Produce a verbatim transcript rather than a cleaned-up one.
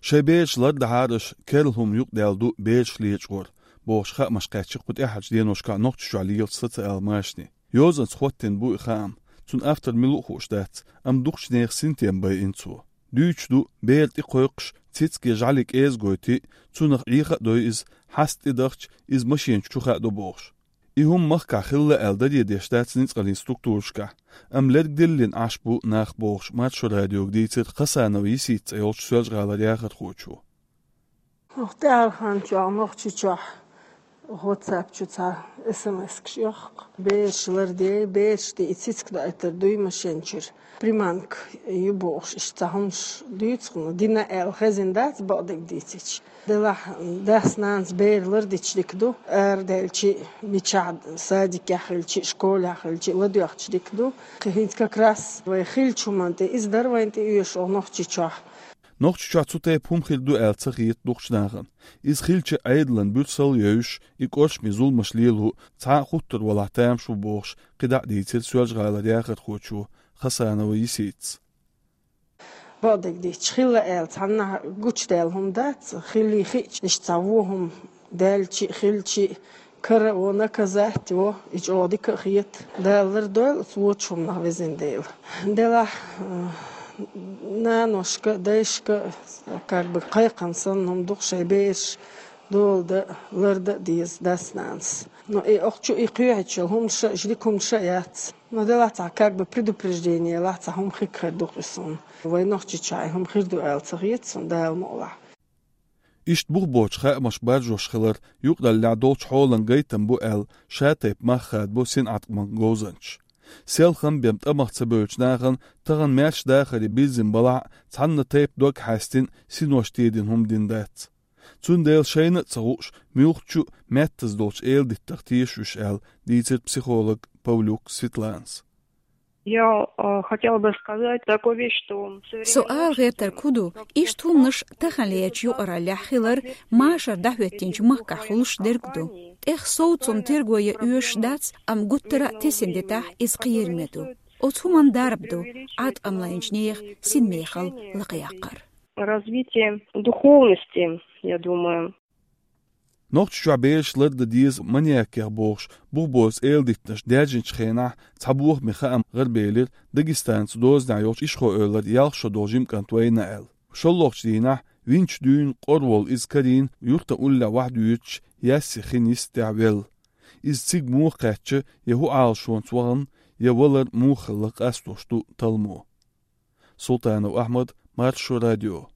Шайн бераш лардахьара аша керла хӀума юкъадаьлла ду бераш лечкъор, бохуш хаамаш кхаьчна кху тӀаьхьарчу деношкахь Нохчийчохь лелачу социал-машане. Йозанца хӀоттийна бу и хаам. Цуьнан автор мила ву хууш дац, амма дукхачу нехан синтем байина цо. Дуьйцуш ду, бер тӀе кхойкхуш, цициг я жӀаьле кӀеза гойтий, цунах Ӏеха а дой иза, хьаста тӀедахча, иза машена чу хадо бохуш. И хӀума махкахь хилла аьлла даре деш дац ницкъаллин структурашкахь, амма лергдиллина Ӏаш бу нах бохуш, Маршо радиога дийцира Хасанова Йисита цӀе йолчу Соьлжа-ГӀалара яхархочо. Оха тӀаьхьарчу хенахь Нохчийчохь WhatsApp чу цхьа СМС-каш йохку. Бераш лардей, бераш тӀе и цициг доуьйтур дуй машен чуьра. Приманка ю бохуш, иштта цхьа хӀумаш дуьйцу, ну, дина аьлла хезна дац, бакъдерг дийцича. Делахь дас-нанас бер лардича дика ду, арадаьлча, мичахь, садикехь хилча, школехь хилча, ладоьгӀча дика ду. Кхин хӀинца как раз вай хиллачу хӀуманна тӀе иза дара вайна тӀеоьшуш оха Нохчийчохь. Нохчийчохь цу тайпа хӀума хир ду аьлла ца хета дукхачу нахана. Иза хилча, Ӏедалан буьрсалла а йовзуш, и кӀоршаме зуламаш лело цхьа а хуттур валахь тамаш ву бохуш, кхидӀа а дийцира Соьлжа-ГӀалара яхархочо Хасанова Йиситас. Бакъдерг дийцича, хилла аьлла, цхьаннахьа гучудаьлла хӀума дац, хиллий хиъча, иштта цхьа вон хӀума даьлча а, хилча а, кара а во, наказать а во, и чӀогӀа дика а хета. Дала лардойла оцу вочу хӀуманах везан Дела. Делахь, э, наношка, дайшка, как бы, кхайкхам санна хӀума ду-кх шайн бераш дола дан, лардан а деза дас-нанас. Но и оха чу и кхоьхьуьйтуш йолу хӀуманаш а, ждика хӀуманаш а яц. Но делахь цхьа как бы предупреждение лахь, цхьа хӀума хир ду-кх и суна. Вай Нохчийчохь и хӀума хир ду аьлла ца хета суна, Дала мукъалахь. Иштта бух боцуш хаамаш баржош хилар юкъараллехь долчу хьолан гайтам бу аьлла, ша-тайпа мах хадабо синӀаткъаман говзанчаша. Селхана бен тӀамах ца бевллачу нахана тахана маьрша дахаре бирзина балахь а, цхьанна тайпа дог хьаьстина синош тедина хӀума дина дац. Цундела шайна а ца хууш, муьлххачу а меттаза долчу эладиттах теша уьш аьлла, дийцира психолог Павлюк Светланас. Я, э, хотела бы сказать такую вещь, что современные... Со ала гӀертарг хӀун ду, иштта хӀуманаш таханлерчу юкъараллехь хилар машар дӀахӀоьттинчу махкахь хуьлуш дерг ду. ТӀех совцам терго ян оьшуш дац, амма гуттара а тесна дитахь, иза кхераме ду. Оцу хӀуманна дарба ду Ӏаткъам лайначу нехан синмехалла лакхаяккхар. Развитие духовности, я думаю. Нохчийчохь бераш лардан деза маньякех бохуш, бух боцу эладиттанаш даьржинчу хенахь цхьа бохаме хаам гӀарабелира Дагестанца дозанехь йолчу Ишхой-Эвлара ялх шо долу жима кӀант Вайна аьлла. ШолгӀачу дийнахь винчу дуьйна къора волу иза карийна юьртан уллехь вахьдуьйцуш, яьсси хин йистехь велла. Иза цига муха кхаьчна, я хӀун Ӏалашонца вахана, я валар муха хилла къастош ду талламо. Султанов Ахьмад, Маршо радио.